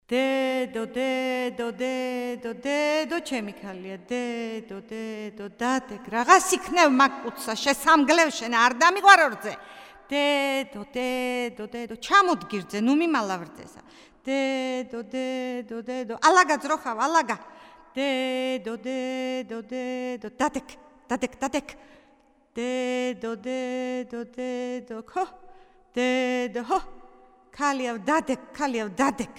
დედო ჩემი ქალია დედო დადეკ რაღაც იქნევ მაგკუცა შესამგლევ შენ არ დამიყვარო რძე დედო ჩამოდგირძე ნუ მიმალავრძესა დედო ალაგა ძროხავ ალაგა დედო დადეკ დედო ხო დედო ხო ქალიავ დადეკ